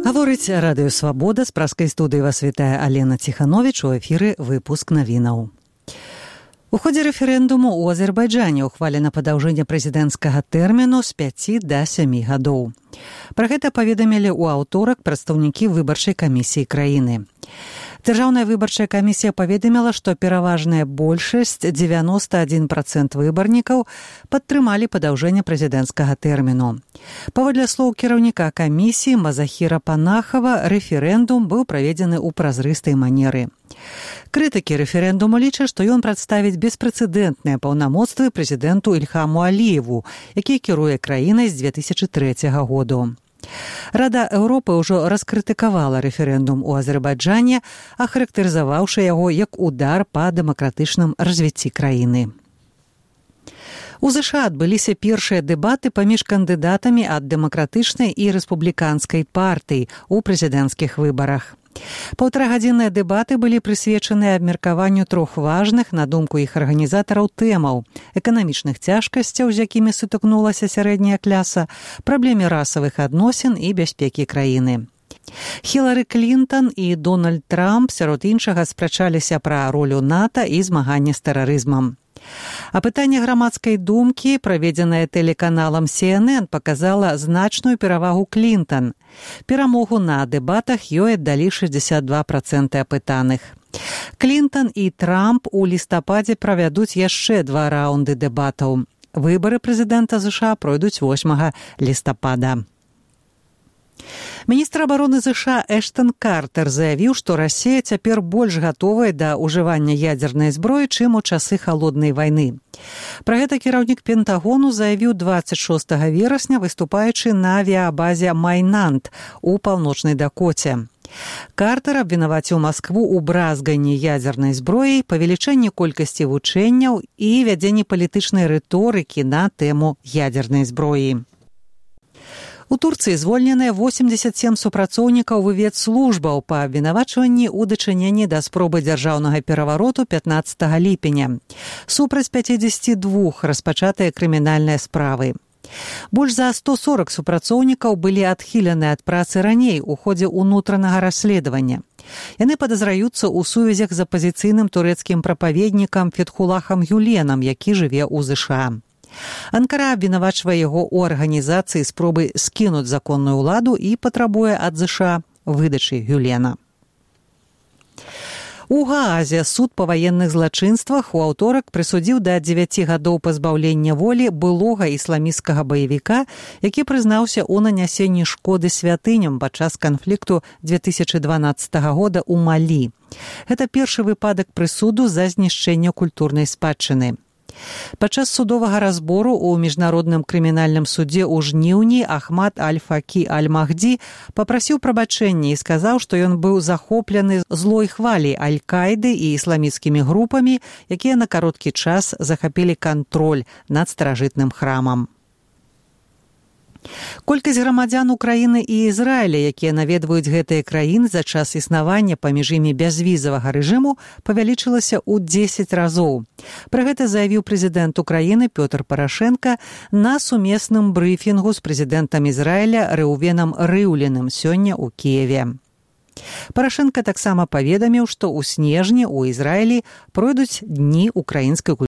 Гаворыць радыё «Свабода», з праскай студыі вас вітае Алена Ціхановіч, у эфіры выпуск навінаў. У ходзе рэферэндуму ў Азербайджане ухвалена падаўжэнне прэзідэнцкага тэрміну з 5 да 7 гадоў. Пра гэта паведамілі ў аўторак прадстаўнікі выбарчай камісіі краіны. Дзяржаўная выбарчая камісія паведаміла, што пераважная большасць, 91% выбарнікаў, падтрымалі падаўжэнне прэзідэнцкага тэрміну. Паводле слоў кіраўніка камісіі Мазахіра Панахава, рэферэндум быў праведзены ў празрыстай манеры. Крытыкі рэферэндуму лічаць, што ён прадставіць беспрэцэдэнтныя паўнамоцтвы прэзідэнту Ільхаму Аліеву, які кіруе краінай з 2003 году. Рада Еўропы ўжо раскрытыкавала рэферэндум у Азербайджане, ахарактарызаваўшы яго як удар па дэмакратычным развіцці краіны. У ЗША адбыліся першыя дэбаты паміж кандыдатамі ад дэмакратычнай і рэспубліканскай партый у прэзідэнцкіх выбарах. Паўтарагадзінныя дэбаты былі прысвечаны абмеркаванню трох важных, на думку іх арганізатараў, тэмаў: эканамічных цяжкасцяў, з якімі сутыкнулася сярэдняя кляса, праблеме расавых адносін і бяспекі краіны. Хілары Клінтон і Дональд Трамп, сярод іншага, спрачаліся пра ролю НАТО і змаганне з тэрарызмам. А пытанне грамадскай думкі, праведзенае тэлеканалам CNN, паказала значную перавагу Клінтон. Перамогу на дэбатах ёй аддалі 62% апытаных. Клінтон і Трамп у лістападзе правядуць яшчэ 2 раунды дэбатаў. Выбары прэзідэнта ЗША пройдуць 8 лістапада. Міністр абароны ЗША Эштон Картер заявіў, што Расія цяпер больш гатовая да ўжывання ядзернай зброі, чым у часы халоднай вайны. Пра гэта кіраўнік Пентагону заявіў 26 верасня, выступаючы на авіябазе Майнант у паўночнай Дакоце. Картер абвінаваціў Маскву ў бразганні ядзернай зброяй, павелічэнні колькасці вучэнняў і вядзенні палітычнай рыторыкі на тэму ядзернай зброі. У Турцыі звольненыя 87 супрацоўнікаў выведслужбаў па абвінавачванні ў дачыненні да спробы дзяржаўнага перавароту 15 ліпеня. Супраць 52 распачатыя крымінальныя справы. Больш за 140 супрацоўнікаў былі адхілены ад працы раней у ходзе ўнутранага расследавання. Яны падазраюцца ў сувязях з апазіцыйным турэцкім прапаведнікам Фетхулахам Гюленам, які жыве ў ЗША. Анкара абвінавачвае яго ў арганізацыі спробы скінуць законную ўладу і патрабуе ад ЗША выдачы Гюлена. У Гаазе суд па ваенных злачынствах у аўторак прысудзіў да 9 гадоў пазбаўлення волі былога ісламісцкага баевіка, які прызнаўся ў нанясенні шкоды святыням падчас канфлікту 2012 года ў Малі. Гэта першы выпадак прысуду за знішчэнне культурнай спадчыны. Падчас судовага разбору ў міжнародным крымінальным судзе ў жніўні Ахмад Аль-Факі Аль-Махдзі папрасіў прабачэння і сказаў, што ён быў захоплены злой хваляй Аль-Каіды і ісламісцкімі групамі, якія на кароткі час захапілі кантроль над старажытным храмам. Колькасць грамадзян Украіны і Ізраіля, якія наведваюць гэтыя краіны за час існавання паміж імі бязвізавага рэжыму, павялічылася ў 10 разоў. Пра гэта заявіў прэзідэнт Украіны Пётр Парашэнка на сумесным брыфінгу з прэзідэнтам Ізраіля Рэўвенам Рыўліным сёння ў Кіеве. Парашэнка таксама паведаміў, што ў снежні ў Ізраілі пройдуць дні украінскай культуры.